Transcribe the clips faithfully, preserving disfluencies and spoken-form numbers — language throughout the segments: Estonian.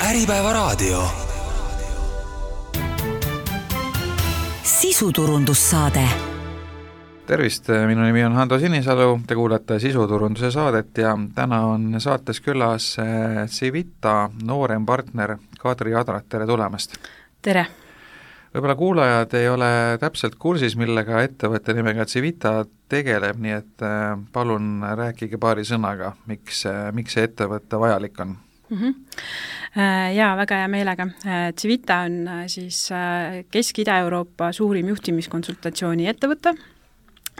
Äripäevaraadio. Sisuturundussaade. Tervist, minu nimi on Hando Sinisalu, te kuulete sisuturunduse saadet ja täna on saates külas Civita noorem partner Kadri Adrat, tere tulemast! Tere! Võib-olla kuulajad ei ole täpselt kursis, millega ettevõtte nimega Civita tegeleb, nii et palun rääkige paari sõnaga, miks, miks see ettevõtte vajalik on? Mm-hmm. Jaa, väga hea meelega. Civita on siis Kesk-Ida-Euroopa suurim juhtimiskonsultatsiooni ettevõte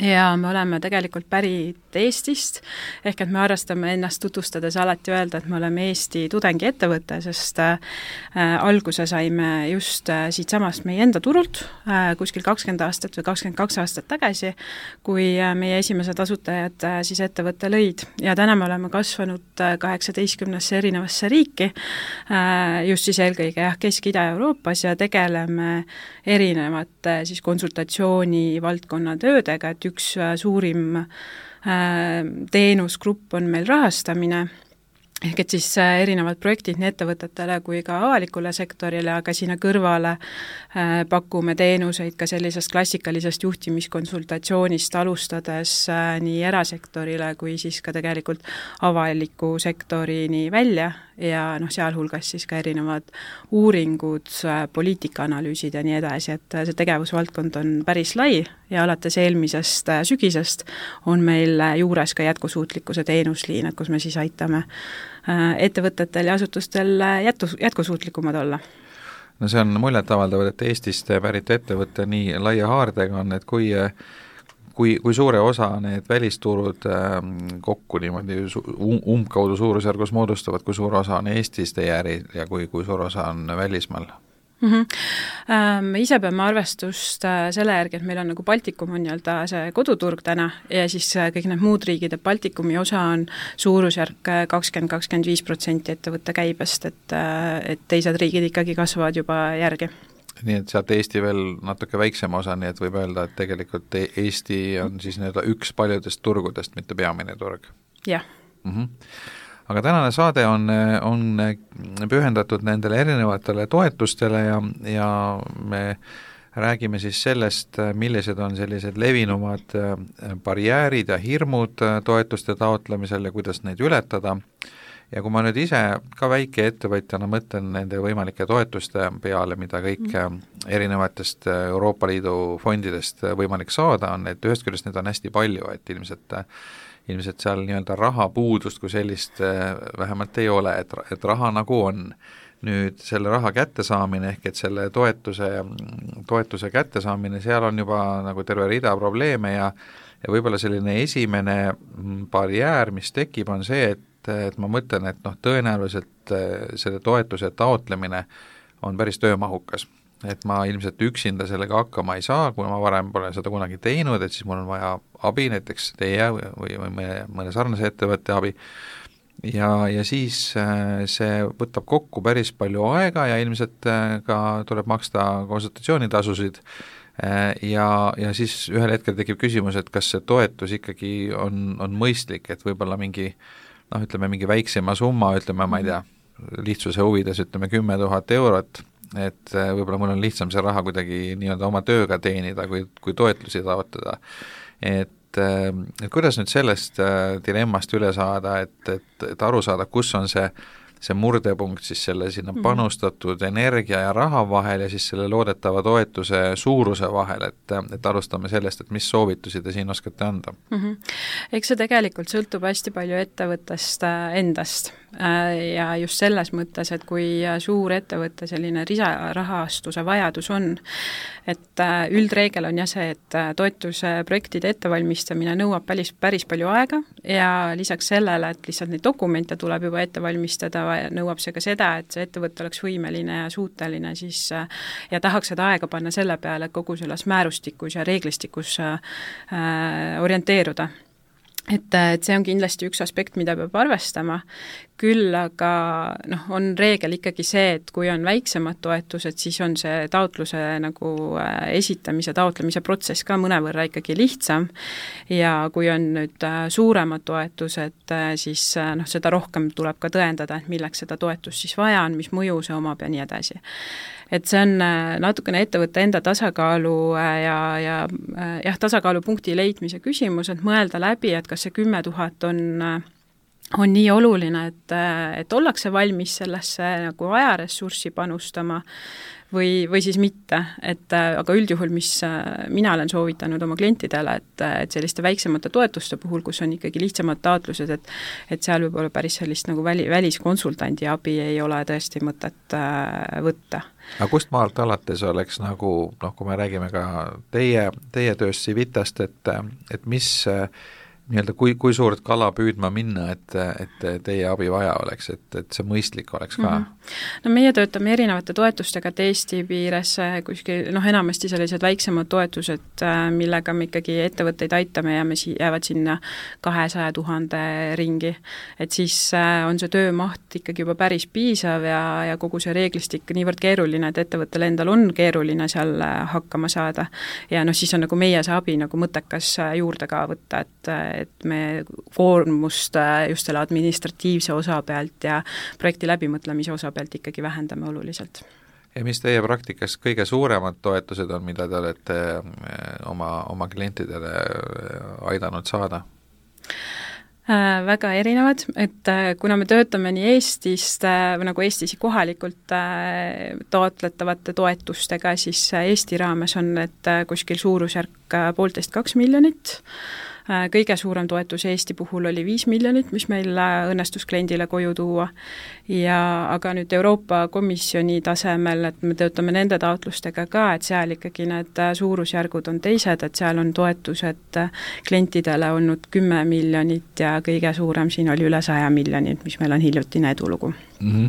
ja me oleme tegelikult pärit Eestist, ehk et me arvastame ennast tutvustades alati öelda, et me oleme Eesti tudengiettevõte, sest äh, alguse saime just äh, siit samast meie enda turult äh, kuskil kakskümmend aastat või kakskümmend kaks aastat tagasi, kui äh, meie esimesed asutajad äh, siis ettevõtte lõid ja täna me oleme kasvanud äh, kaheksateistkümnesse erinevasse riiki, äh, just siis eelkõige jah, Kesk-Ida-Euroopas ja tegeleme erinevate siis konsultatsiooni valdkonna töödega, et üks äh, suurim teenusgrupp on meil rahastamine, ehk et siis erinevad projektid nii ettevõtetele kui ka avalikule sektorile, aga sinna kõrvale äh, pakume teenuseid ka sellisest klassikalisest juhtimiskonsultatsioonist alustades äh, nii erasektorile kui siis ka tegelikult avaliku sektorini välja ja noh, sealhulgas siis ka erinevad uuringud, äh, poliitikaanalüüsid ja nii edasi, et see tegevusvaldkond on päris lai ja alates eelmisest äh, sügisest on meil juures ka jätkusuutlikkuse teenusliin, et kus me siis aitame ettevõtetel ja asutustel jätku, jätkusuutlikumad olla. No see on muljetavaldavad, et Eestist pärit ettevõtte nii laia haardega on, et kui, kui, kui suure osa need välisturud kokku niimoodi umbkaudu suurusjärgus moodustavad, kui suur osa on Eestis teie äri ja kui, kui suur osa on välismaal? Mm-hmm. Me ise peame arvestust selle järgi, et meil on nagu Baltikum on nii-öelda see koduturg täna ja siis kõik need muud riigid, et Baltikumi osa on suurusjärk kakskümmend kuni kakskümmend viis protsenti ettevõtte käibest, et, et teised riigid ikkagi kasvavad juba järgi. Nii et sealt Eesti veel natuke väiksem osa, nii et võib öelda, et tegelikult Eesti on siis nii-öelda üks paljudest turgudest, mitte peamine turg. Jah. Mm-hmm. Aga tänane saade on, on pühendatud nendele erinevatele toetustele ja, ja me räägime siis sellest, millised on sellised levinumad barjäärid ja hirmud toetuste taotlemisel ja kuidas neid ületada. Ja kui ma nüüd ise ka väike ettevõtjana mõtlen nende võimalike toetuste peale, mida kõik erinevatest Euroopa Liidu fondidest võimalik saada on, et ühest küljest neid on hästi palju, et ilmselt ilmselt seal nii-öelda rahapuudust kui sellist vähemalt ei ole, et, et raha nagu on. Nüüd selle raha kättesaamine ehk et selle toetuse, toetuse kättesaamine, seal on juba nagu terve rida probleeme ja, ja võib-olla selline esimene barjäär, mis tekib, on see, et, et ma mõtlen, et noh, tõenäoliselt selle toetuse taotlemine on päris töömahukas. Et ma ilmselt üksinda sellega hakkama ei saa, kui ma varem pole seda kunagi teinud, et siis mul on vaja abi, näiteks teie või, või mõne, mõne sarnase ettevõtte abi. Ja, ja siis see võtab kokku päris palju aega ja ilmselt ka tuleb maksta konsultatsioonitasusid ja, ja siis ühel hetkel tekib küsimus, et kas see toetus ikkagi on, on mõistlik, et võib-olla mingi, noh, ütleme mingi väiksema summa, ütleme, ma ei tea, lihtsuse huvides, ütleme kümme tuhat eurot, et võib-olla mul on lihtsam see raha kuidagi nii-öelda oma tööga teenida, kui, kui toetlusi taotada. Et, et kuidas nüüd sellest dilemmast üle saada, et, et, et aru saada, kus on see, see murdepunkt siis selle sinna panustatud energia ja raha vahel ja siis selle loodetava toetuse suuruse vahel, et, et alustame sellest, et mis soovitusi te siin oskate anda? Mm-hmm. Eks see tegelikult sõltub hästi palju ettevõttest endast ja just selles mõttes, et kui suur ettevõtte selline risarahastuse vajadus on, et üldreegel on jah see, et toetuse projektide ettevalmistamine nõuab päris, päris palju aega ja lisaks sellele, et lihtsalt neid dokumente tuleb juba ette valmistada, nõuab see ka seda, et see ettevõte oleks võimeline ja suuteline siis ja tahaks seda aega panna selle peale, et kogu selles määrustikus ja reeglistikus äh, orienteeruda. Et, et see on kindlasti üks aspekt, mida peab arvestama. küll aga noh, on reegel ikkagi see, et kui on väiksemad toetused, siis on see taotluse nagu esitamise, taotlemise protsess ka mõnevõrra ikkagi lihtsam ja kui on nüüd suuremad toetused, siis noh, seda rohkem tuleb ka tõendada, et milleks seda toetust siis vaja on, mis mõju see omab ja nii edasi. Et see on natukene ettevõtte enda tasakaalu ja, ja jah, tasakaalupunkti leidmise küsimus, et mõelda läbi, et kas see kümme tuhat on on nii oluline, et, et ollakse valmis sellesse nagu ajaressurssi panustama või, või siis mitte, et aga üldjuhul, mis mina olen soovitanud oma klientidele, et, et selliste väiksemate toetuste puhul, kus on ikkagi lihtsamad taotlused, et et seal võib olla päris sellist nagu väli, väliskonsultandi abi ei ole tõesti mõtet võtta. Aga kust maalt alates oleks nagu, noh, kui me räägime ka teie, teie tööst Civitast, et, et mis nii-öelda kui, kui suurt kala püüdma minna, et, et teie abi vaja oleks, et, et see mõistlik oleks ka? Mm -hmm. No meie töötame erinevate toetustega, et Eesti piires kuskil, noh enamasti sellised väiksemad toetused, millega me ikkagi ettevõtteid aitame ja me si-, jäävad sinna kahesaja tuhande ringi. Et siis on see töömaht ikkagi juba päris piisav ja, ja kogu see reeglistik niivõrd keeruline, et ettevõttel endal on keeruline seal hakkama saada. Ja noh, siis on nagu meie see abi nagu mõttekas juurde ka võtta, et et me koormust just selle administratiivse osa pealt ja projekti läbimõtlemise osa pealt ikkagi vähendame oluliselt. Ja mis teie praktikas kõige suuremad toetused on, mida te olete oma, oma klientidele aidanud saada? Äh, väga erinevad, et äh, kuna me töötame nii Eestist äh, või nagu Eestis kohalikult äh, taotletavate toetustega, siis Eesti raames on need äh, kuskil suurusjärk äh, poolteist kaks miljonit. Kõige suurem toetus Eesti puhul oli viis miljonit, mis meil õnnestus kliendile koju tuua. Ja aga nüüd Euroopa Komisjoni tasemel, et me töötame nende taotlustega ka, et seal ikkagi need suurusjärgud on teised, et seal on toetused klientidele olnud kümme miljonit ja kõige suurem siin oli üle saja miljonit, mis meil on hiljutine edulugu. Mm-hmm.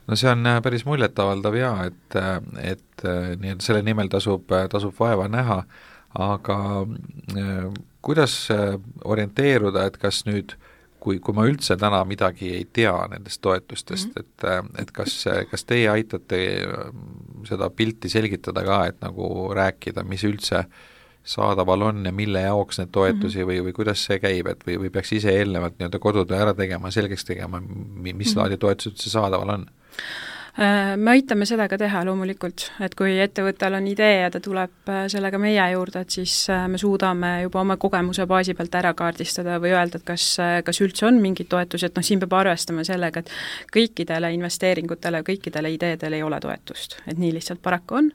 No see on päris muljetavaldav ja, et, et nii, et selle nimel tasub, tasub vaeva näha, aga kuidas orienteeruda, et kas nüüd, kui, kui ma üldse täna midagi ei tea nendest toetustest, mm-hmm. et, et kas, kas teie aitate seda pilti selgitada ka, et nagu rääkida, mis üldse saadaval on ja mille jaoks need toetusi mm-hmm. või, või kuidas see käib, et või, või peaks ise eelnevalt nii-öelda kodutöö ära tegema, selgeks tegema, mis mm-hmm. laadi toetused üldse saadaval on? Me aitame seda ka teha loomulikult, et kui ettevõttel on idee ja ta tuleb sellega meie juurde, et siis me suudame juba oma kogemuse baasi pealt ära kaardistada või öelda, et kas, kas üldse on mingid toetused, noh siin peab arvestama sellega, et kõikidele investeeringutele, kõikidele ideedele ei ole toetust, et nii lihtsalt paraku on,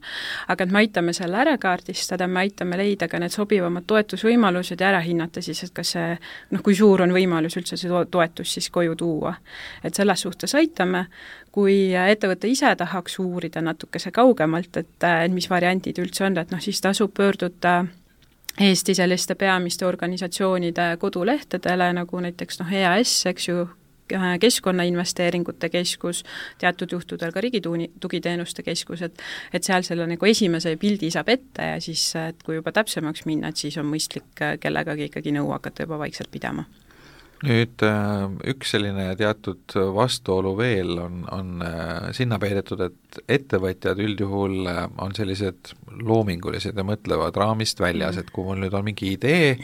aga et me aitame selle ära kaardistada, me aitame leida ka need sobivamad toetusvõimalused ja ära hinnata siis, et kas see, noh kui suur on võimalus üldse see toetus siis koju tuua. Et selles suhtes aitame, kui ettevõte ise tahaks uurida natukese kaugemalt, et, et mis variandid üldse on, et noh, siis tasub pöörduda Eesti selliste peamiste organisatsioonide kodulehtedele, nagu näiteks noh, E A S, eks ju, keskkonnainvesteeringute keskus, teatud juhtudel ka Riigitugiteenuste keskus, et, et seal selle nagu esimese pildi saab ette ja siis, et kui juba täpsemaks minna, et siis on mõistlik kellegagi ikkagi nõu hakata juba vaikselt pidama. Nüüd üks selline teatud vastuolu veel on, on sinna peidetud, et ettevõtjad üldjuhul on sellised loomingulised ja mõtlevad raamist väljas, et kui mul nüüd on mingi idee,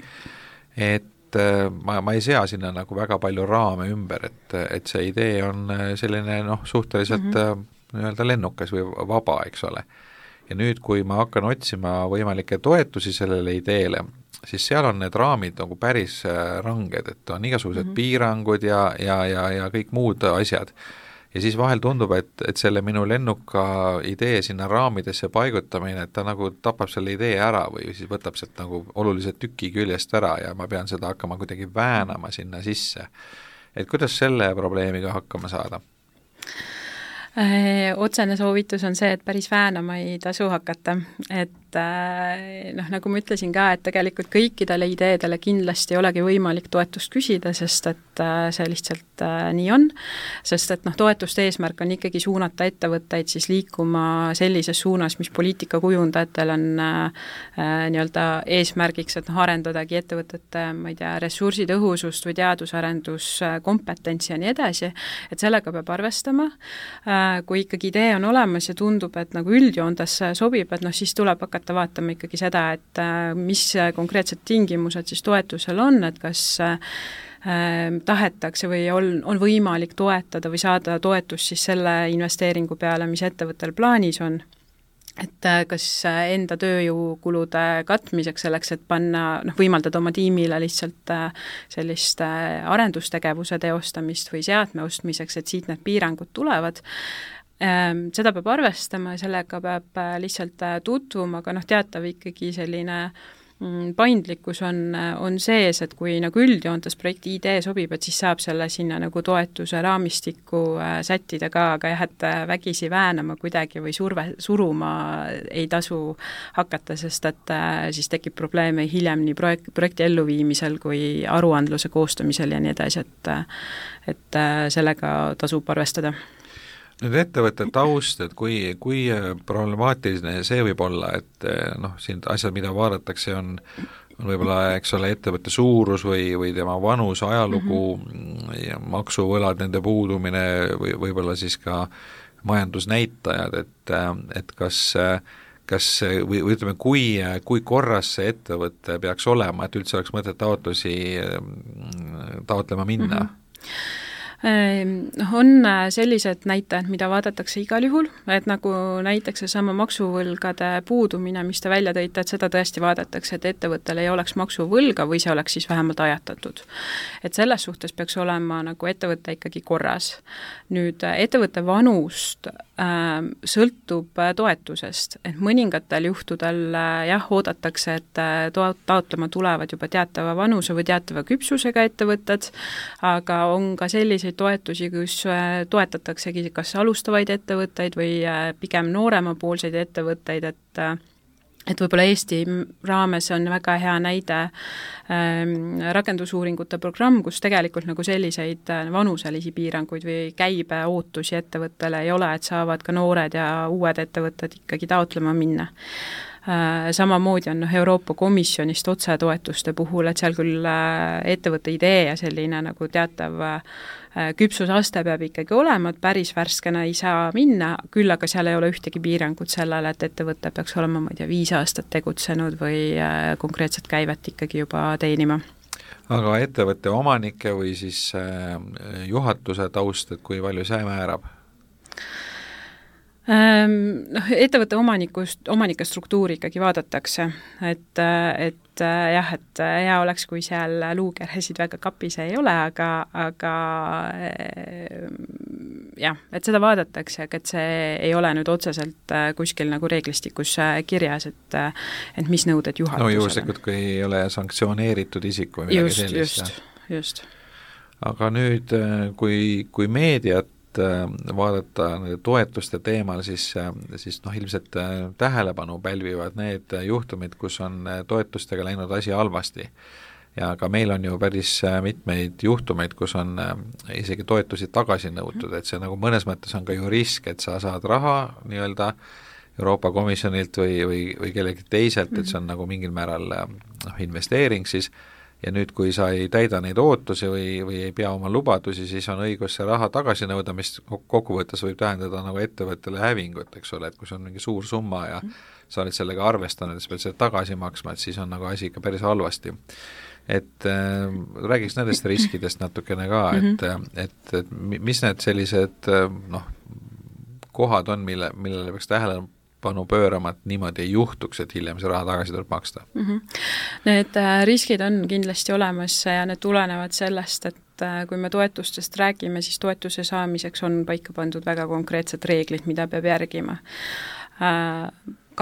et ma, ma ei sea sinna nagu väga palju raame ümber, et, et see idee on selline noh, suhteliselt mm-hmm. nii-öelda lennukas või vaba, eks ole. Ja nüüd, kui ma hakkan otsima võimalikke toetusi sellele ideele, siis seal on need raamid nagu päris ranged, et on igasugused mm-hmm. piirangud ja, ja, ja, ja kõik muud asjad. Ja siis vahel tundub, et, et selle minu lennuka idee sinna raamidesse paigutamine, et ta nagu tapab selle idee ära või siis võtab sealt nagu oluliselt tüki küljest ära ja ma pean seda hakkama kuidagi väänama sinna sisse. Et kuidas selle probleemiga hakkama saada? Otsene soovitus on see, et päris väänama ei tasu hakata, et et noh, nagu ma ütlesin ka, et tegelikult kõikidele ideedele kindlasti ei olegi võimalik toetust küsida, sest et see lihtsalt nii on, sest et noh, toetuste eesmärk on ikkagi suunata ettevõtteid siis liikuma sellises suunas, mis poliitikakujundajatel on nii-öelda eesmärgiks, et noh, arendadagi ettevõtete, ma ei tea, ressursitõhusust või teadusarendus, ja nii edasi, et sellega peab arvestama. Kui ikkagi idee on olemas ja tundub, et nagu üldjoontes sobib, et noh, siis tuleb hakata vaatama ikkagi seda, et mis konkreetsed tingimused siis toetusel on, et kas tahetakse või on, on võimalik toetada või saada toetust siis selle investeeringu peale, mis ettevõttel plaanis on. Et kas enda tööjõukulude katmiseks selleks, et panna, noh, võimaldada oma tiimile lihtsalt sellist arendustegevuse teostamist või seadme ostmiseks, et siit need piirangud tulevad. Seda peab arvestama ja sellega peab lihtsalt tutvuma, aga noh, teatav ikkagi selline paindlikkus on, on sees, et kui nagu üldjoontes projekti idee sobib, et siis saab selle sinna nagu toetuse raamistikku sättida ka, aga jah, et vägisi väänama kuidagi või surve, suruma ei tasu hakata, sest et siis tekib probleeme hiljem nii projekt, projekti elluviimisel kui aruandluse koostamisel ja nii edasi, et, et sellega tasub arvestada. Nüüd ettevõtte taust, et kui, kui problemaatiline see võib olla, et noh, siin asjad, mida vaadatakse, on, on võib-olla, eks ole, ettevõtte suurus või, või tema vanus, ajalugu mm-hmm. ja maksuvõlad, nende puudumine või võib-olla siis ka majandusnäitajad, et, et kas, kas või, või ütleme, kui, kui korras see ettevõte peaks olema, et üldse oleks mõtet taotlusi taotlema minna? Mm-hmm. On sellised näitajad, mida vaadatakse igal juhul, et nagu näiteks seesama maksuvõlgade puudumine, mis te välja tõite, et seda tõesti vaadatakse, et ettevõttel ei oleks maksuvõlga või see oleks siis vähemalt ajatatud. Et selles suhtes peaks olema nagu ettevõte ikkagi korras. Nüüd ettevõtte vanust äh, sõltub toetusest, et mõningatel juhtudel äh, jah, oodatakse, et to- taotlema tulevad juba teatava vanuse või teatava küpsusega ettevõtted, aga on ka selliseid toetusi, kus toetataksegi kas alustavaid ettevõtteid või pigem nooremapoolseid ettevõtteid, et et võib-olla Eesti raames on väga hea näide ähm, rakendusuuringute programm, kus tegelikult nagu selliseid vanuselisi piiranguid või käibe ootusi ettevõttele ei ole, et saavad ka noored ja uued ettevõtted ikkagi taotlema minna. Samamoodi on Euroopa Komisjonist otsetoetuste puhul, et seal küll ettevõtte idee ja selline nagu teatav küpsusaste peab ikkagi olema, et päris värskena ei saa minna, küll aga seal ei ole ühtegi piirangut sellele, et ettevõte peaks olema, ma ei tea, viis aastat tegutsenud või konkreetset käivet ikkagi juba teenima. Aga ettevõtte omanike või siis juhatuse taust, et kui palju see määrab? Noh, ettevõtte omanikust, omanike struktuuri ikkagi vaadatakse, et, et jah, et hea oleks, kui seal luukeresid väga kapis ei ole, aga, aga jah, et seda vaadatakse, aga et see ei ole nüüd otseselt kuskil nagu reeglistikus kirjas, et, et mis nõuded juhatusele. No juhuslikult, kui ei ole sanktsioneeritud isik või midagi just, sellist. Just, just. Aga nüüd, kui, kui meediat vaadata toetuste teemal, siis, siis noh, ilmselt tähelepanu pälvivad need juhtumid, kus on toetustega läinud asi halvasti. Ja ka meil on ju päris mitmeid juhtumeid, kus on isegi toetusi tagasi nõutud, et see nagu mõnes mõttes on ka ju risk, et sa saad raha nii-öelda Euroopa Komisjonilt või, või, või kellegi teiselt, et see on nagu mingil määral noh, investeering siis, ja nüüd, kui sa ei täida neid ootusi või, või ei pea oma lubadusi, siis on õigus see raha tagasi nõuda, mis kokkuvõttes võib tähendada nagu ettevõttele hävingut, eks ole, et kui see on mingi suur summa ja sa oled sellega arvestanud, et sa pead seda tagasi maksma, et siis on nagu asi ikka päris halvasti. Et äh, räägiks nendest riskidest natukene ka, et, et, et mis need sellised noh, kohad on, mille, millele peaks tähelepanu panu pöörama, et niimoodi ei juhtuks, et hiljem see raha tagasi tuleb maksta? Mm-hmm. Need riskid on kindlasti olemas ja need tulenevad sellest, et kui me toetustest räägime, siis toetuse saamiseks on paika pandud väga konkreetsed reeglid, mida peab järgima.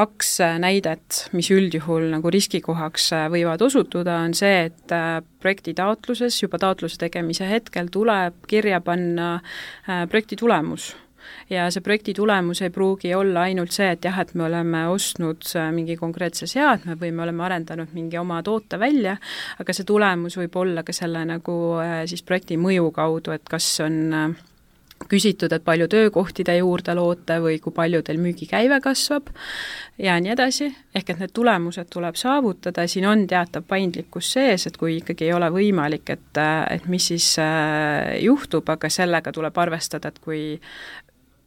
Kaks näidet, mis üldjuhul nagu riskikohaks võivad osutuda, on see, et projekti taotluses, juba taotluse tegemise hetkel tuleb kirja panna projekti tulemus. ja see projekti tulemus ei pruugi olla ainult see, et jah, et me oleme ostnud mingi konkreetse seadme või me oleme arendanud mingi oma toote välja, aga see tulemus võib olla ka selle nagu siis projekti mõju kaudu, et kas on küsitud, et palju töökohti te juurde loote või kui palju teil müügikäive kasvab ja nii edasi, ehk et need tulemused tuleb saavutada, siin on teatav paindlikkus sees, et kui ikkagi ei ole võimalik, et, et mis siis juhtub, aga sellega tuleb arvestada, et kui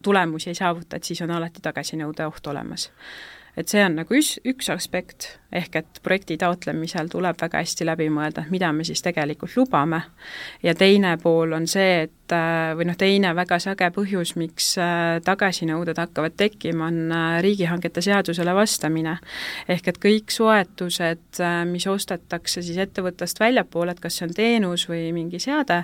tulemusi ei saavuta, et siis on alati tagasinõude oht olemas. Et see on nagu üks, üks aspekt, ehk et projekti taotlemisel tuleb väga hästi läbi mõelda, mida me siis tegelikult lubame, ja teine pool on see, et või noh, teine väga sage põhjus, miks tagasinõuded hakkavad tekkima, on riigihangete seadusele vastamine. Ehk et kõik soetused, mis ostetakse siis ettevõttest väljapoole, et kas see on teenus või mingi seade,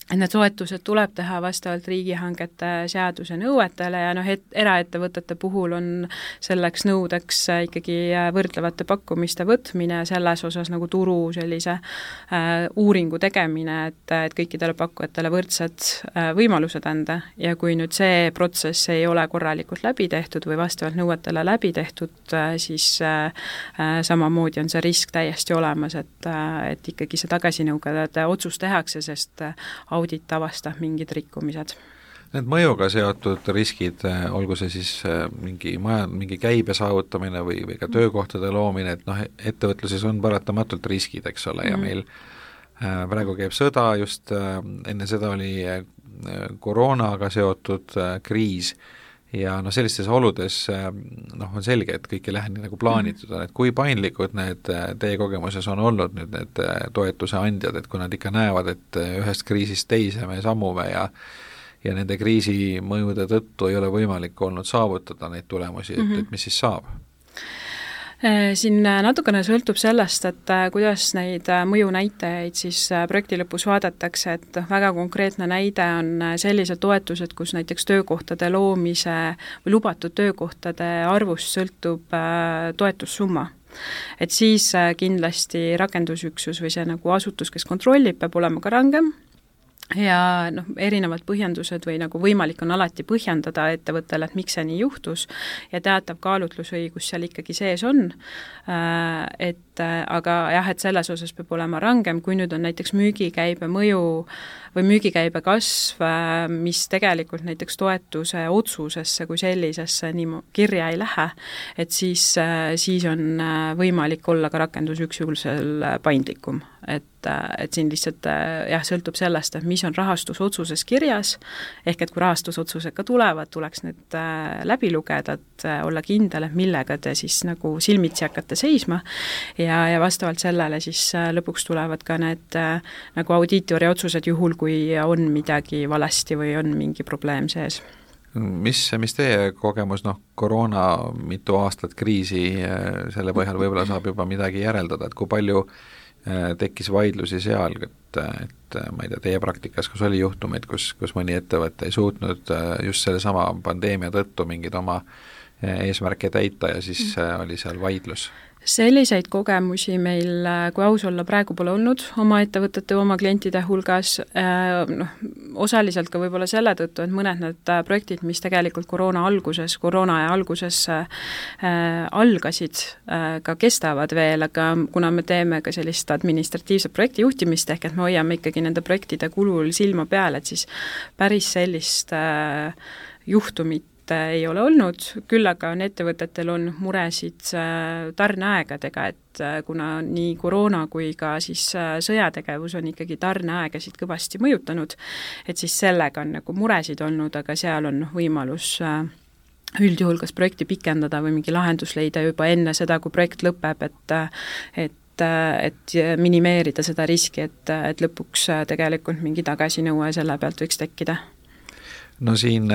et need soetused tuleb teha vastavalt riigihangete seaduse nõuetele ja noh, et eraettevõtete puhul on selleks nõudeks ikkagi võrdlevate pakkumiste võtmine ja selles osas nagu turu sellise äh, uuringu tegemine, et, et kõikidele pakkujatele võrdsed äh, võimalused anda ja kui nüüd see protsess ei ole korralikult läbi tehtud või vastavalt nõuetele läbi tehtud, äh, siis äh, äh, samamoodi on see risk täiesti olemas, et, äh, et ikkagi see tagasinõude otsus tehakse, sest äh, audit avastab mingid rikkumised. Need mõjuga seotud riskid, olgu see siis mingi maja, mingi käibe saavutamine või, või ka töökohtade loomine, et noh, ettevõtluses on paratamatult riskid, eks ole, ja mm. meil äh, praegu käib sõda, just äh, enne seda oli äh, koroonaga seotud äh, kriis ja noh, sellistes oludes noh, on selge, et kõik ei lähe nii nagu plaanitud on, et kui paindlikud need teie kogemuses on olnud nüüd need toetuse andjad, et kui nad ikka näevad, et ühest kriisist teise me sammume ja ja nende kriisi mõjude tõttu ei ole võimalik olnud saavutada neid tulemusi, et, et mis siis saab? Siin natukene sõltub sellest, et kuidas neid mõjunäitajaid siis projekti lõpus vaadatakse, et väga konkreetne näide on sellised toetused, kus näiteks töökohtade loomise või lubatud töökohtade arvust sõltub toetussumma. Et siis kindlasti rakendusüksus või see nagu asutus, kes kontrollib, peab olema ka rangem, ja noh, erinevad põhjendused või nagu võimalik on alati põhjendada ettevõttele, et miks see nii juhtus ja teatav kaalutlusõigus seal ikkagi sees on, et aga jah, et selles osas peab olema rangem, kui nüüd on näiteks müügikäibe mõju või müügikäibe kasv, mis tegelikult näiteks toetuse otsusesse kui sellisesse nii kirja ei lähe, et siis, siis on võimalik olla ka rakendusüksusel paindlikum. Et, et siin lihtsalt jah, sõltub sellest, et mis on rahastusotsuses kirjas, ehk et kui rahastusotsused ka tulevad, tuleks need läbi lugeda, et olla kindel, et millega te siis nagu silmitsi hakkate seisma ja, ja vastavalt sellele siis lõpuks tulevad ka need nagu audiitori otsused juhul, kui on midagi valesti või on mingi probleem sees. Mis, mis teie kogemus, noh, koroona mitu aastat kriisi, selle põhjal võib-olla saab juba midagi järeldada, et kui palju tekkis vaidlusi seal, et, et ma ei tea, teie praktikas, kus oli juhtumeid, kus, kus mõni ettevõte ei suutnud just selle sama pandeemia tõttu mingid oma eesmärke täita ja siis oli seal vaidlus? Selliseid kogemusi meil, kui aus olla, praegu pole olnud oma ettevõtete, oma klientide hulgas, noh, osaliselt ka võib-olla selle tõttu, et mõned need projektid, mis tegelikult koroona alguses, koroona aja alguses äh, algasid, äh, ka kestavad veel, aga kuna me teeme ka sellist administratiivset projekti juhtimist, ehk et me hoiame ikkagi nende projektide kulul silma peal, et siis päris sellist äh, juhtumit ei ole olnud, küll aga on ettevõtetel on muresid tarneaegadega, et kuna nii koroona kui ka siis sõjategevus on ikkagi tarneaegasid kõvasti mõjutanud, et siis sellega on nagu muresid olnud, aga seal on võimalus üldjuhul kas projekti pikendada või mingi lahendus leida juba enne seda, kui projekt lõpeb, et, et et minimeerida seda riski, et, et lõpuks tegelikult mingi tagasinõue selle pealt võiks tekkida. No siin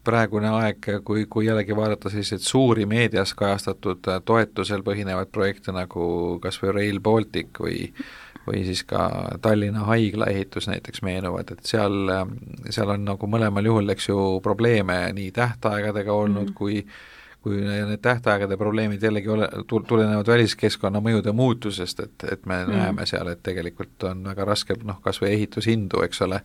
praegune aeg, kui, kui jällegi vaadata selliseid suuri meedias kajastatud toetusel põhinevaid projekte nagu kas või Rail Baltic või, või siis ka Tallinna haigla ehitus näiteks meenuvad, et seal, seal on nagu mõlemal juhul, eks ju, probleeme nii tähtaegadega olnud mm. kui kui need tähtaegade probleemid jällegi ole, tulenevad väliskeskkonna mõjude muutusest, et, et me mm. näeme seal, et tegelikult on väga raske, noh, kas või ehitushindu, eks ole,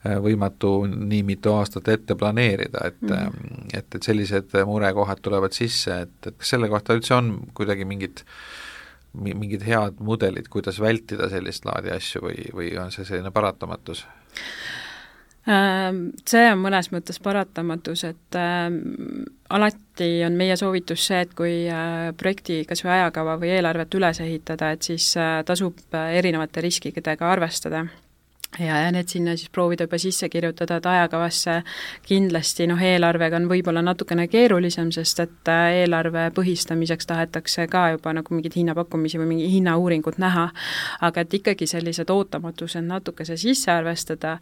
võimatu nii mitu aastat ette planeerida, et mm. -hmm. et, et sellised murekohad tulevad sisse, et, et kas selle kohta üldse on kuidagi mingid mingid head mudelid, kuidas vältida sellist laadi asju või, või on see selline paratamatus? See on mõnes mõttes paratamatus, et äh, alati on meie soovitus see, et kui äh, projekti kas või ajakava või eelarvet üles ehitada, et siis äh, tasub erinevate riskidega arvestada. Ja, ja need sinna siis proovida juba sisse kirjutada, et ajakavasse kindlasti noh, eelarvega on võib-olla natukene keerulisem, sest et eelarve põhistamiseks tahetakse ka juba nagu mingid hinnapakkumisi või mingi hinnauuringut näha, aga et ikkagi sellised ootamatused natuke see sisse arvestada,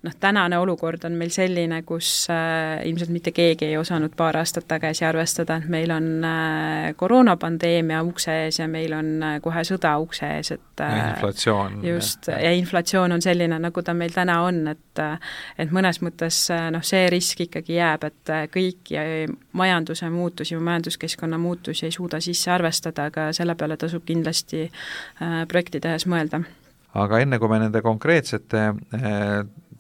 noh tänane olukord on meil selline, kus äh, ilmselt mitte keegi ei osanud paar aastat tagasi arvestada, et meil on äh, koroonapandeemia ukse ees ja meil on äh, kohe sõda ukse ees, et äh, ja inflatsioon. Just, ja inflatsioon on selline, nagu ta meil täna on, et et mõnes mõttes noh, see risk ikkagi jääb, et kõik ja majanduse muutusi või majanduskeskkonna muutusi ei suuda sisse arvestada, aga selle peale tasub kindlasti projekti tehes mõelda. Aga enne kui me nende konkreetsete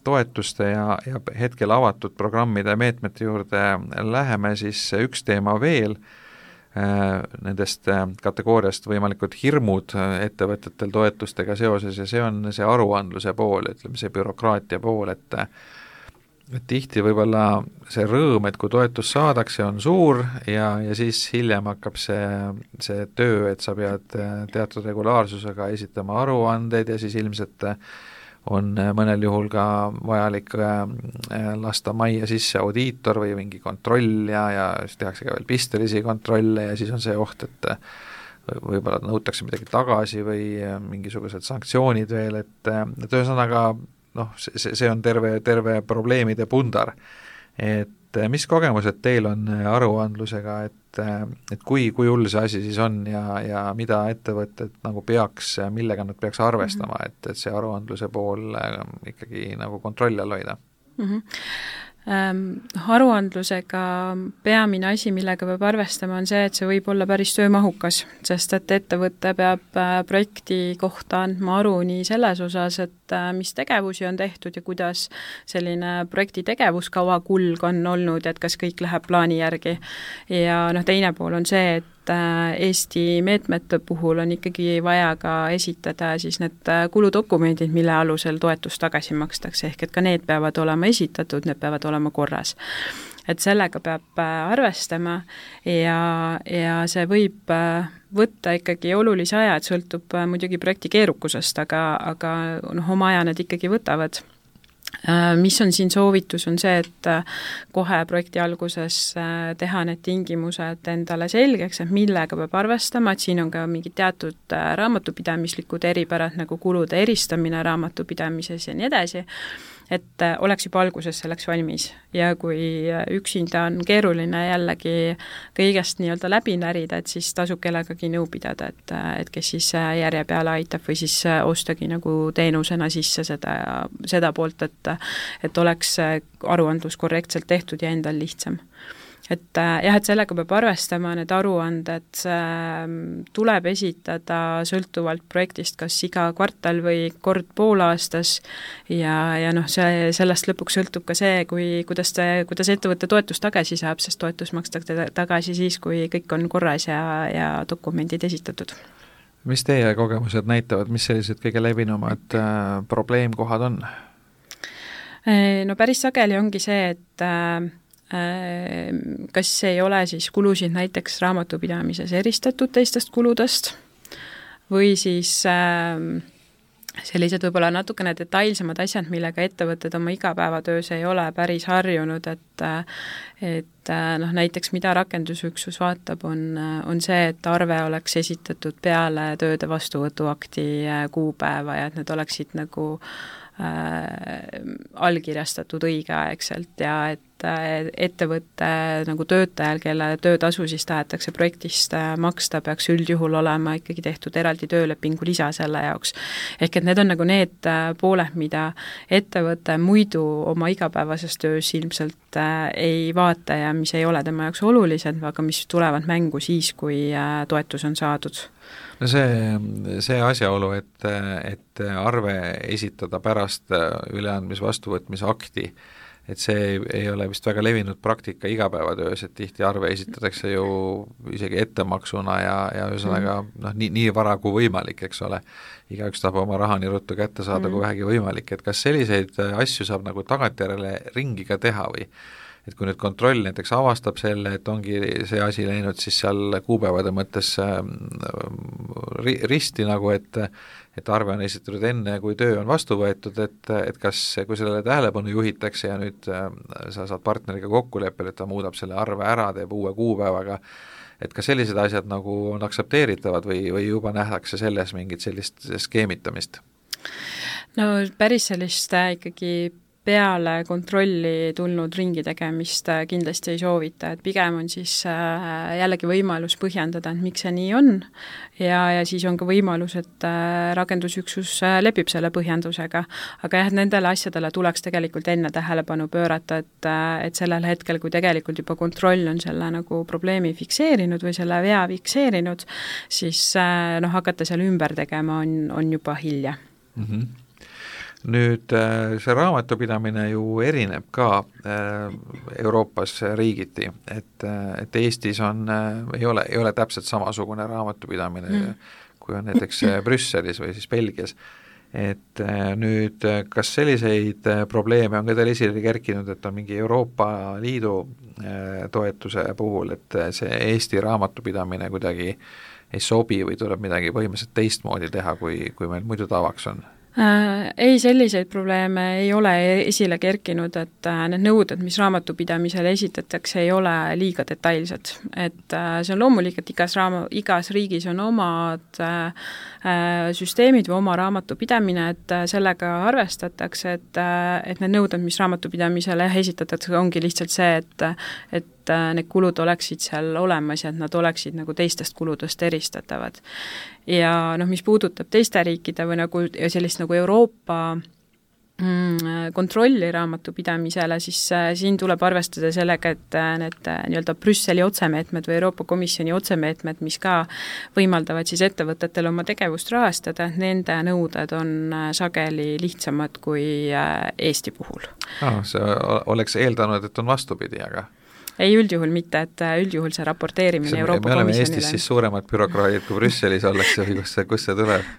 toetuste ja, ja hetkel avatud programmide ja meetmete juurde läheme, siis üks teema veel, nendest kategooriast võimalikud hirmud ettevõtetel toetustega seoses ja see on see aruandluse pool, ütleme see bürokraatia pool, et, et tihti võib-olla see rõõm, et kui toetus saadakse, on suur ja, ja siis hiljem hakkab see, see töö, et sa pead teatud regulaarsusega esitama aruandeid ja siis ilmselt on mõnel juhul ka vajalik lasta majja sisse audiitor või mingi kontroll ja, ja siis tehakse ka veel pistelisi kontrolle ja siis on see oht, et võib-olla nõutakse midagi tagasi või mingisugused sanktsioonid veel, et, et ühesõnaga noh, see, see on terve, terve probleemide pundar. Et mis kogemused teil on aruandlusega, et, et kui, kui hull see asi siis on ja, ja mida ettevõtted nagu peaks, millega nad peaks arvestama, et, et see aruandluse pool ikkagi nagu kontrolli all hoida? Mm-hmm. Ähm, aruandlusega peamine asi, millega peab arvestama, on see, et see võib olla päris töömahukas, sest et ettevõte peab projekti kohta andma aru nii selles osas, et mis tegevusi on tehtud ja kuidas selline projekti tegevuskava kulg on olnud, et kas kõik läheb plaani järgi. Ja noh, teine pool on see, et Eesti meetmete puhul on ikkagi vaja ka esitada siis need kuludokumendid, mille alusel toetus tagasi makstakse, ehk et ka need peavad olema esitatud, need peavad olema korras. Et sellega peab arvestama ja, ja see võib võtta ikkagi olulise aja, et sõltub muidugi projekti keerukusest, aga, aga noh, oma aja need ikkagi võtavad. Mis on siin soovitus, on see, et kohe projekti alguses teha need tingimused endale selgeks, et millega peab arvestama, et siin on ka mingid teatud raamatupidamislikud eripärad, nagu kulude eristamine raamatupidamises ja nii edasi, et oleks juba alguses selleks valmis ja kui üksinda on keeruline jällegi kõigest nii-öelda läbi närida, et siis tasub kellegagi nõu pidada, et, et kes siis järje peale aitab või siis ostagi nagu teenusena sisse seda, seda poolt, et, et oleks aruandlus korrektselt tehtud ja endal lihtsam. Et jah, et sellega peab arvestama, need aruanded tuleb esitada sõltuvalt projektist kas iga kvartal või kord poolaastas ja, ja noh, see, sellest lõpuks sõltub ka see, kui, kuidas, te, kuidas ettevõtte toetus tagasi saab, sest toetus makstakse tagasi siis, kui kõik on korras ja, ja dokumendid esitatud. Mis teie kogemused näitavad, mis sellised kõige levinumad äh, probleemkohad on? No päris sageli ongi see, et äh, kas ei ole siis kulusid näiteks raamatupidamises eristatud teistest kuludest või siis äh, sellised võib-olla natukene detailsemad asjad, millega ettevõtted oma igapäevatöös ei ole päris harjunud, et et noh, näiteks mida rakendusüksus vaatab, on, on see, et arve oleks esitatud peale tööde vastuvõtuakti kuupäeva ja et need oleksid nagu äh, allkirjastatud õigeaegselt ja et ettevõtte nagu töötajal, kelle töötasu siis tahetakse projektist maksta, peaks üldjuhul olema ikkagi tehtud eraldi töölepingu lisa selle jaoks. Ehk et need on nagu need pooled, mida ettevõte muidu oma igapäevases töös ilmselt ei vaata ja mis ei ole tema jaoks olulised, aga mis tulevad mängu siis, kui toetus on saadud. No see, see asjaolu, et, et arve esitada pärast üleandmis vastuvõtmise akti, et see ei, ei ole vist väga levinud praktika igapäevatöös, et tihti arve esitatakse ju isegi ettemaksuna ja, ja ühesõnaga noh, nii, nii vara kui võimalik, eks ole. Igaüks tahab oma raha nii ruttu kätte saada, kui vähegi võimalik, et kas selliseid asju saab nagu tagantjärele ringi ka teha või et kui nüüd kontroll näiteks avastab selle, et ongi see asi läinud siis seal kuupäevade mõttes risti nagu, et et arve on esitatud enne, kui töö on vastu võetud, et, et kas, kui sellele tähelepanu juhitakse ja nüüd sa saad partneriga kokkuleppel, et ta muudab selle arve ära, teeb uue kuupäevaga, et kas sellised asjad nagu on aktsepteeritavad või, või juba nähtakse selles mingit sellist skeemitamist? No päris sellist ikkagi peale kontrolli tulnud ringi tegemist kindlasti ei soovita, et pigem on siis jällegi võimalus põhjendada, et miks see nii on ja, ja siis on ka võimalus, et rakendusüksus lepib selle põhjendusega, aga jah, nendele asjadele tuleks tegelikult enne tähelepanu pöörata, et, et sellel hetkel, kui tegelikult juba kontroll on selle nagu probleemi fikseerinud või selle vea fikseerinud, siis noh, hakata seal ümber tegema on, on juba hilja. Mhm. Nüüd see raamatupidamine ju erineb ka Euroopas riigiti, et, et Eestis on, ei ole, ei ole täpselt samasugune raamatupidamine mm. kui on näiteks Brüsselis või siis Belgias. Et nüüd, kas selliseid probleeme on ka teil esile kerkinud, et on mingi Euroopa Liidu toetuse puhul, et see Eesti raamatupidamine kuidagi ei sobi või tuleb midagi põhimõtteliselt teistmoodi teha, kui, kui meil muidu tavaks on? Ei, selliseid probleeme ei ole esile kerkinud, et need nõuded, mis raamatupidamisele esitatakse, ei ole liiga detailsed. Et see on loomulik, et igas, raama, igas riigis on omad süsteemid või oma raamatupidamine, et sellega arvestatakse, et, et need nõuded, mis raamatupidamisele esitatakse, ongi lihtsalt see, et, et need kulud oleksid seal olemas ja et nad oleksid nagu teistest kuludest eristatavad. Ja noh, mis puudutab teiste riikide või nagu sellist nagu Euroopa mm, kontrolli raamatupidamisele, siis äh, siin tuleb arvestada sellega, et äh, need äh, nii-öelda Brüsseli otsemeetmed või Euroopa Komisjoni otsemeetmed, mis ka võimaldavad siis ettevõtetel oma tegevust rahastada, nende nõuded on äh, sageli lihtsamad kui äh, Eesti puhul. Ah, see oleks eeldanud, et on vastupidi, aga ei, üldjuhul mitte, et üldjuhul see raporteerimine see, Euroopa Komisjonile. Me oleme Eestis siis suuremad bürokraadid kui Brüsselis ollakse või kus see, kus see tuleb?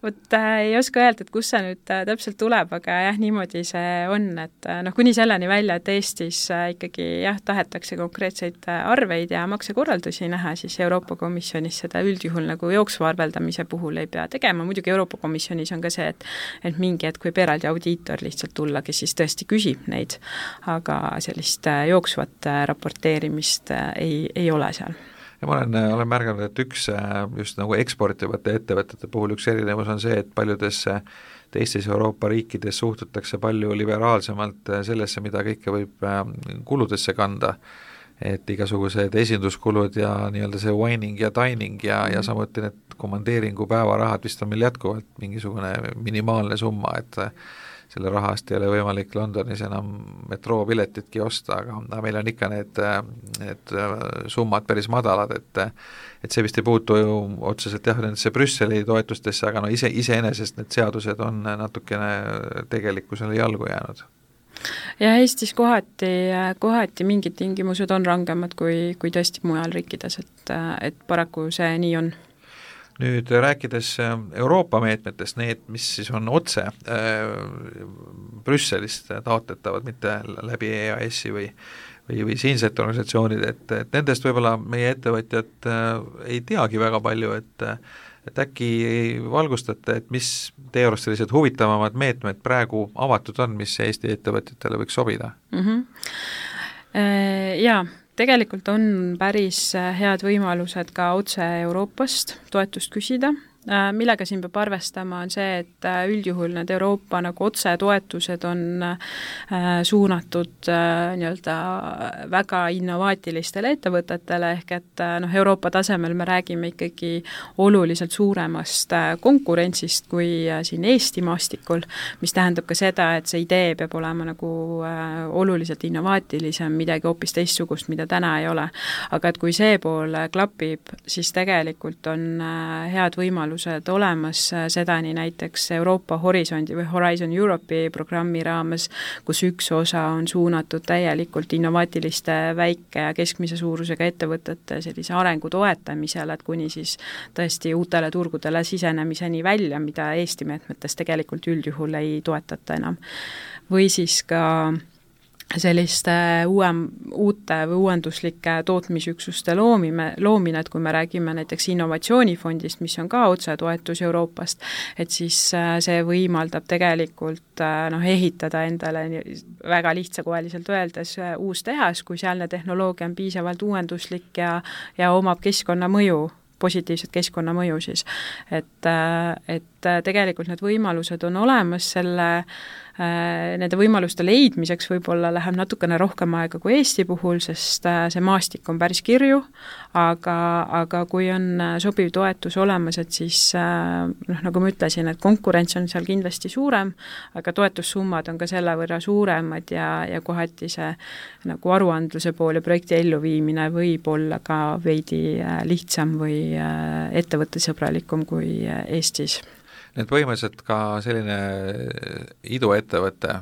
Vot äh, ei oska öelda, et kus see nüüd äh, täpselt tuleb, aga jah, niimoodi see on, et äh, noh, kuni selleni välja, et Eestis äh, ikkagi jah, tahetakse konkreetseid äh, arveid ja maksekorraldusi näha, siis Euroopa Komisjonis seda üldjuhul nagu jooksva arveldamise puhul ei pea tegema, muidugi Euroopa Komisjonis on ka see, et, et mingi hetk võib eraldi audiitor lihtsalt tulla, kes siis tõesti küsib neid, aga sellist äh, jooksvat äh, raporteerimist äh, ei, ei ole seal. Ja ma olen, olen märganud, et üks just nagu eksportivate ettevõtete puhul üks erinevus on see, et paljudes teistes Euroopa riikides suhtutakse palju liberaalsemalt sellesse, mida kõike võib kuludesse kanda, et igasugused esinduskulud ja nii-öelda see wining ja dining ja, ja samuti need komandeeringu päevarahad vist on meil jätkuvalt mingisugune minimaalne summa, et selle rahast ei ole võimalik Londonis enam metroopiletitki osta, aga meil on ikka need, need summad päris madalad, et et see vist ei puutu ju otseselt jah, nendesse Brüsseli toetustesse, aga no ise, iseenesest need seadused on natukene tegelikkusele jalgu jäänud. Ja Eestis kohati, kohati mingid tingimused on rangemad kui, kui tõesti mujal riikides, et, et paraku see nii on. Nüüd rääkides Euroopa meetmetest, need, mis siis on otse äh, Brüsselist taotletavad, mitte läbi E A S-i või, või, või siinsete organisatsioonid, et, et nendest võib-olla meie ettevõtjad äh, ei teagi väga palju, et, et äkki valgustate, et mis teie arust sellised huvitavamad meetmed praegu avatud on, mis Eesti ettevõtjatele võiks sobida? Mm-hmm. Äh, jaa. Tegelikult on päris head võimalused ka otse Euroopast toetust küsida millega siin peab arvestama, on see, et üldjuhul need Euroopa nagu otsetoetused on suunatud nii-öelda väga innovaatilistele ettevõtetele, ehk et noh, Euroopa tasemel me räägime ikkagi oluliselt suuremast konkurentsist kui siin Eesti maastikul, mis tähendab ka seda, et see idee peab olema nagu oluliselt innovaatilisem, midagi hoopis teistsugust, mida täna ei ole. Aga et kui see pool klapib, siis tegelikult on head võimalused olemas, seda nii näiteks Euroopa Horisondi või Horizon Europe'i programmi raames, kus üks osa on suunatud täielikult innovaatiliste väike- ja keskmise suurusega ettevõtete sellise arengu toetamisele, et kuni siis tõesti uutele turgudele sisenemiseni välja, mida Eesti meetmetes tegelikult üldjuhul ei toetata enam. Või siis ka selliste uuem, uute või uuenduslike tootmisüksuste loomime, loomine, et kui me räägime näiteks innovatsioonifondist, mis on ka otsetoetus Euroopast, et siis see võimaldab tegelikult noh, ehitada endale väga lihtsakoeliselt öeldes uus tehas, kui sealne tehnoloogia on piisavalt uuenduslik ja, ja omab keskkonnamõju, positiivset keskkonnamõju siis. Et, et tegelikult need võimalused on olemas, selle nende võimaluste leidmiseks võib-olla läheb natukene rohkem aega kui Eesti puhul, sest see maastik on päris kirju, aga, aga kui on sobiv toetus olemas, et siis noh, nagu ma ütlesin, et konkurents on seal kindlasti suurem, aga toetussummad on ka selle võrra suuremad ja, ja kohati see nagu aruandluse pool ja projekti elluviimine võib olla ka veidi lihtsam või ettevõttesõbralikum kui Eestis. Need põhimõtteliselt ka selline iduettevõte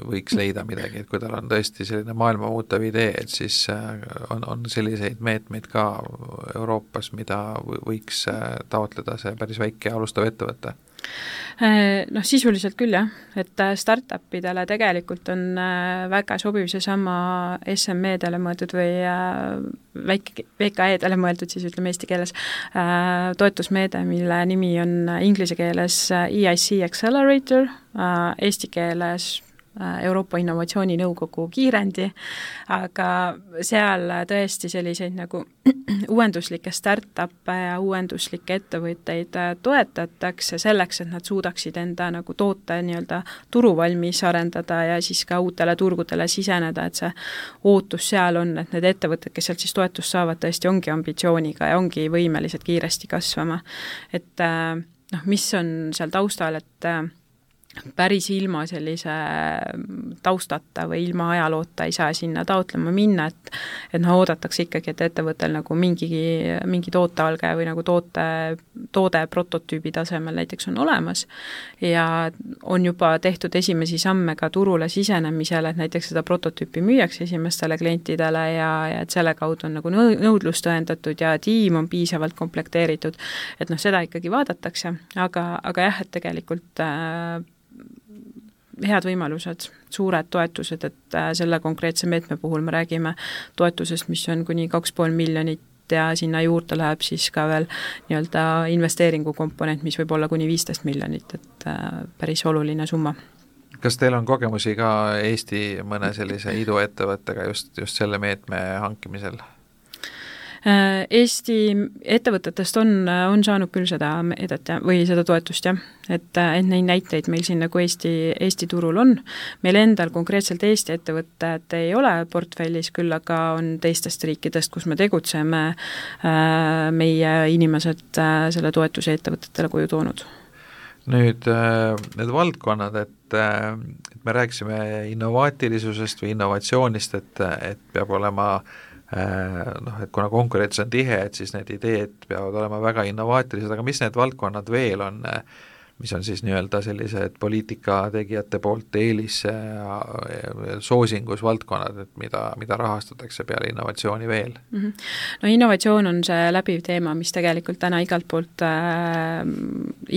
võiks leida midagi, et kui tal on tõesti selline maailma muutev idee, et siis on, on selliseid meetmeid ka Euroopas, mida võiks taotleda see päris väike alustav ettevõte? Noh, sisuliselt küll jah, et startupidele tegelikult on väga sobiv seesama S M E-dele mõeldud või väike, V K E-dele mõeldud siis ütleme eesti keeles toetusmeede, mille nimi on inglise keeles E I C Accelerator, eesti keeles Euroopa Innovatsiooninõukogu kiirendi, aga seal tõesti selliseid nagu uuenduslikke start-up'e ja uuenduslikke ettevõtteid toetatakse selleks, et nad suudaksid enda nagu toote nii-öelda turuvalmis arendada ja siis ka uutele turgudele siseneda, et see ootus seal on, et need ettevõtted, kes sealt siis toetust saavad, tõesti ongi ambitsiooniga ja ongi võimelised kiiresti kasvama. Et noh, mis on seal taustal, et päris ilma sellise taustata või ilma ajaloota ei saa sinna taotlema minna, et, et noh, oodatakse ikkagi, et ettevõttel nagu mingi, mingi tootealge või nagu toote, toode prototüübi tasemel näiteks on olemas ja on juba tehtud esimesi samme ka turule sisenemisel, et näiteks seda prototüüpi müüakse esimestele klientidele ja, ja et selle kaudu on nagu nõudlust tõendatud ja tiim on piisavalt komplekteeritud, et noh, seda ikkagi vaadatakse, aga, aga jah, et tegelikult äh, head võimalused, suured toetused, et selle konkreetse meetme puhul me räägime toetusest, mis on kuni kaks pool miljonit ja sinna juurde läheb siis ka veel nii-öelda investeeringukomponent, mis võib olla kuni viisteist miljonit, et päris oluline summa. Kas teil on kogemusi ka Eesti mõne sellise iduettevõttega just, just selle meetme hankimisel? Eesti ettevõtetest on, on saanud küll seda meedet või seda toetust, jah. Et, et neid näiteid meil siin nagu Eesti, Eesti turul on. Meil endal konkreetselt Eesti ettevõtted ei ole portfellis, küll aga on teistest riikidest, kus me tegutseme, meie inimesed selle toetuse ettevõtetele koju toonud. Nüüd need valdkonnad, et, et me rääkisime innovaatilisusest või innovatsioonist, et, et peab olema noh, et kuna konkurents on tihe, et siis need ideed peavad olema väga innovaatilised, aga mis need valdkonnad veel on, mis on siis nii-öelda sellised poliitikategijate poolt eelis ja soosingus valdkonnad, et mida, mida rahastatakse peale innovatsiooni veel? Mm-hmm. No innovatsioon on see läbiv teema, mis tegelikult täna igalt poolt äh,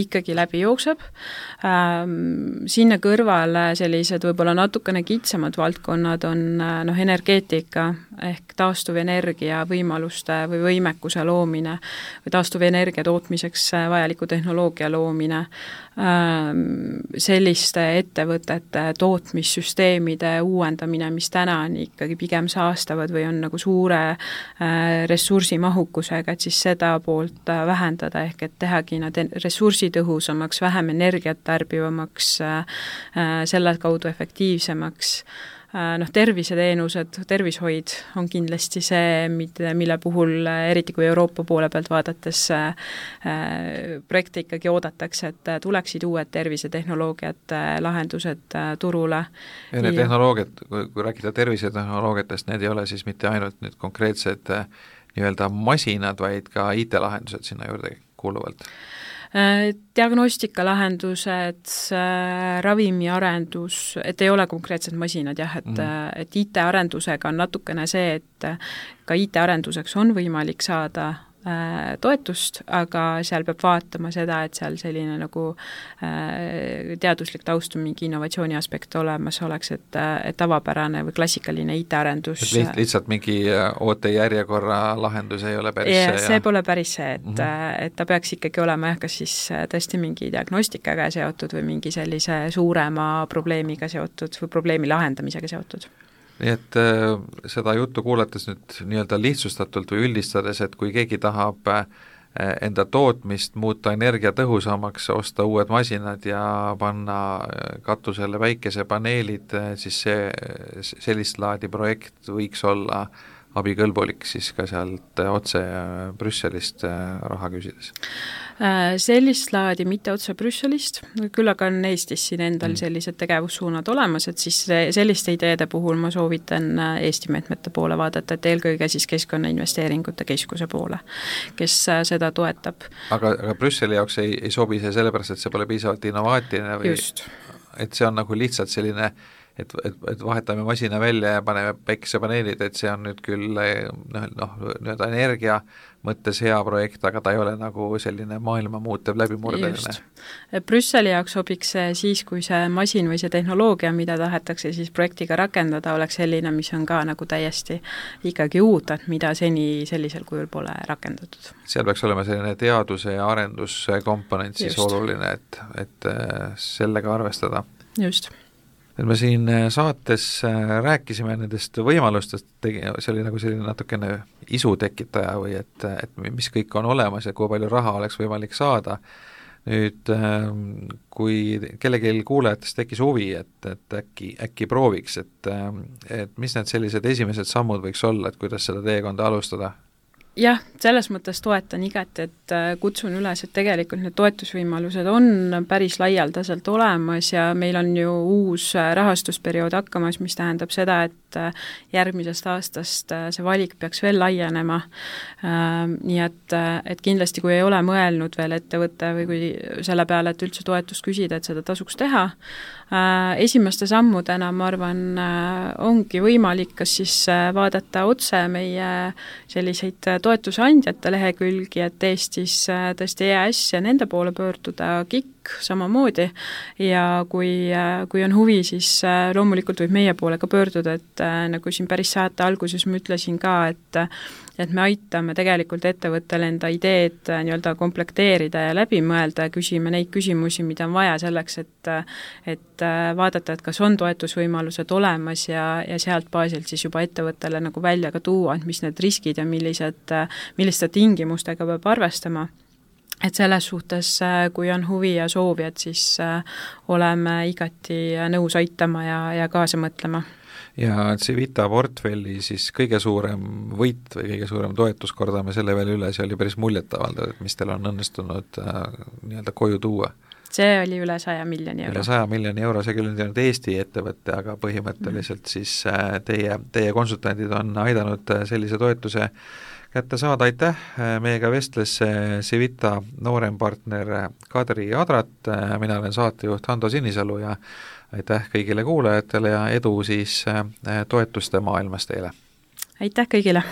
ikkagi läbi jookseb. Äh, sinna kõrvale sellised võib-olla natukene kitsamad valdkonnad on äh, noh, energeetika, ehk taastuvenergia võimaluste või võimekuse loomine või taastuvenergia tootmiseks vajaliku tehnoloogia loomine, selliste ettevõtete tootmissüsteemide uuendamine, mis täna on ikkagi pigem saastavad või on nagu suure ressursimahukusega, et siis seda poolt vähendada, ehk et tehagi nad ressursitõhusamaks, vähem energiat tarbivamaks, selle kaudu efektiivsemaks. Noh, terviseteenused, tervishoid on kindlasti see, mille puhul eriti kui Euroopa poole pealt vaadates projekte ikkagi oodatakse, et tuleksid uued tervisetehnoloogiad, lahendused turule. Ja need tehnoloogiad, kui rääkida tervisetehnoloogiatest, need ei ole siis mitte ainult nüüd konkreetsed nii-öelda masinad, vaid ka I T-lahendused sinna juurde kuuluvalt? Diagnostikalahendused, ravimiarendus, et ei ole konkreetsed masinad jah, et, mm. et I T-arendusega on natukene see, et ka I T-arenduseks on võimalik saada toetust, aga seal peab vaatama seda, et seal selline nagu teaduslik taust, mingi innovatsiooni aspekt olemas oleks, et, et tavapärane või klassikaline I T-arendus Liht, lihtsalt mingi ootejärjekorra lahendus ei ole päris ja, see? see pole päris see, et, mm-hmm. et ta peaks ikkagi olema jah, kas siis tõesti mingi diagnostikaga seotud või mingi sellise suurema probleemiga seotud või probleemi lahendamisega seotud. Nii et äh, seda juttu kuulates nüüd nii-öelda lihtsustatult või üldistades, et kui keegi tahab äh, enda tootmist muuta energiatõhusamaks, osta uued masinad ja panna katusele päikesepaneelid, siis see, sellist laadi projekt võiks olla abikõlbulik siis ka sealt otse Brüsselist raha küsides? Sellist laadi mitte otse Brüsselist, küll aga on Eestis siin endal sellised tegevussuunad olemas, et siis selliste ideede puhul ma soovitan Eesti meetmete poole vaadata, et eelkõige siis Keskkonnainvesteeringute Keskuse poole, kes seda toetab. Aga, aga Brüsseli jaoks ei, ei sobi see sellepärast, et see pole piisavalt innovaatiline või Just. Et see on nagu lihtsalt selline et, et, et vahetame masina välja ja paneme päikesepaneelid, et see on nüüd küll noh, noh, nii-öelda energia mõttes hea projekt, aga ta ei ole nagu selline maailma muutev läbimurdeline. Brüsseli jaoks sobiks see siis, kui see masin või see tehnoloogia, mida tahetakse siis projektiga rakendada, oleks selline, mis on ka nagu täiesti ikkagi uut, et mida seni sellisel kujul pole rakendatud. Seal peaks olema selline teaduse ja arenduskomponent siis Just. oluline, et, et sellega arvestada. Just. Et me siin saates rääkisime nendest võimalustest, see oli nagu selline natukene isu tekitaja või et, et mis kõik on olemas ja kui palju raha oleks võimalik saada. Nüüd, kui kellelgi kuulajatest tekkis huvi, et, et äkki, äkki prooviks, et, et mis need sellised esimesed sammud võiks olla, et kuidas seda teekonda alustada? Jah, selles mõttes toetan igati, et kutsun üles, et tegelikult need toetusvõimalused on päris laialdaselt olemas ja meil on ju uus rahastusperiood hakkamas, mis tähendab seda, et järgmisest aastast see valik peaks veel laienema. Nii et, et kindlasti, kui ei ole mõelnud veel ettevõtte või kui selle peale, et üldse toetust küsida, et seda tasuks teha, esimeste sammudena, ma arvan, ongi võimalik kas siis vaadata otse meie selliseid toetusandjate lehekülgi, et Eestis tõesti E A S ja nende poole pöörduda, K I K samamoodi ja kui, kui on huvi, siis loomulikult võib meie poole ka pöörduda, et nagu siin päris saate alguses ma ütlesin ka, et et me aitame tegelikult ettevõttele enda ideed nii-öelda komplekteerida ja läbi mõelda ja küsime neid küsimusi, mida on vaja selleks, et, et vaadata, et kas on toetusvõimalused olemas ja, ja sealt baasilt siis juba ettevõttele nagu välja ka tuua, et mis need riskid ja millised, milliste tingimustega peab arvestama. Et selles suhtes, kui on huvi ja soovi, et siis oleme igati nõus aitama ja, ja kaasa mõtlema. Ja Civita portfelli siis kõige suurem võit või kõige suurem toetus, kordame selle veel üle, see oli päris muljetavaldav, et mis teil on õnnestunud äh, nii-öelda koju tuua? See oli üle saja miljoni euro. Üle saja miljoni euro, see küll on teinud Eesti ettevõtte, aga põhimõtteliselt mm. siis äh, teie, teie konsultandid on aidanud sellise toetuse kätte saada, aitäh, meiega vestles Civita noorempartner Kadri Adrat, mina olen saatejuht Hando Sinisalu ja aitäh kõigile kuulajatele ja edu siis toetuste maailmas teile! Aitäh kõigile!